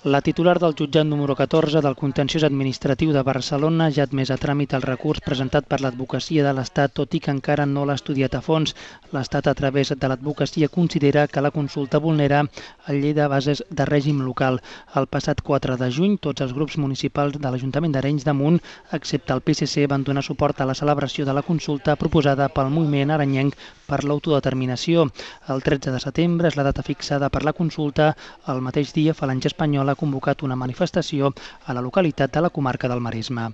La titular del jutjat número 14 del Contenciós Administratiu de Barcelona ja ha admès a tràmit el recurs presentat per l'Advocacia de l'Estat, tot i que encara no l'ha estudiat a fons. L'Estat, a través de l'advocacia, considera que la consulta vulnera el llei de bases de règim local. El passat 4 de juny, tots els grups municipals de l'Ajuntament d'Arenys de Munt, excepte el PSC, van donar suport a la celebració de la consulta proposada pel moviment arenyenc per l'autodeterminació. El 13 de setembre és la data fixada per la consulta. El mateix dia, Falange Espanyola ha convocat una manifestació a la localitat de la comarca del Maresme.